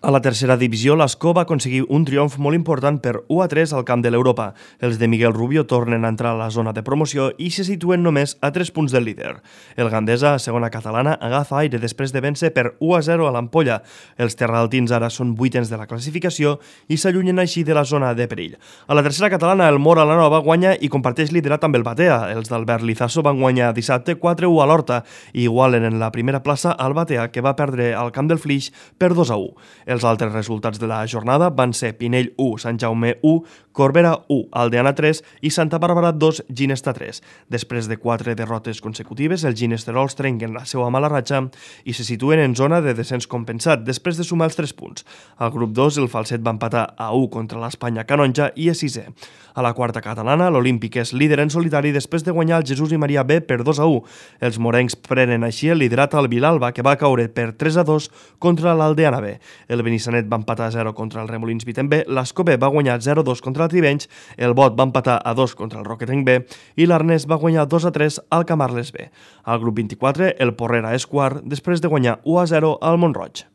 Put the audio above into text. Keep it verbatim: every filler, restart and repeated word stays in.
A la tercera divisió, l'Ascó va aconseguir un triomf molt important per u a tres al camp de l'Europa. Els de Miguel Rubio tornen a entrar a la zona de promoció i se situen només a tres punts del líder. El Gandesa, segona catalana, agafa aire després de vèncer per u a zero a l'Ampolla. Els terraltins ara són vuitens de la classificació i s'allunyen així de la zona de perill. A la tercera catalana, el Mora la Nova guanya i comparteix liderat amb el Batea. Els d'Albert Lizaso van guanyar dissabte quatre a u a l'Horta i igualen en la primera plaça al Batea, que va perdre al camp del Flix per dos a u. Els altres resultats de la jornada van ser Pinell u, Sant Jaume u, Corbera u, Aldeana tres i Santa Bàrbara dos, Ginesta tres. Després de quatre derrotes consecutives, els ginesterols trenquen la seva mala ratxa i se situen en zona de descens compensat després de sumar els tres punts. Al grup dos, el Falset va empatar a u contra l'Espanya Canonja i és sisè. A la quarta catalana, l'Olímpic és líder en solitari després de guanyar el Jesús i Maria B per dos a u. Els morencs prenen així el liderat al Vilalba, que va caure per tres a dos contra l'Aldeana B. El Benissanet va empatar a zero contra el Remolins Vitem B, l'Ascó B va guanyar zero a dos contra el Tribenys, el Bot va empatar a dos contra el Roquetenc B i l'Arnès va guanyar dos a tres al Camarles B. Al grup vint-i-quatre, el Porrera és quart després de guanyar u a zero al Mont-roig.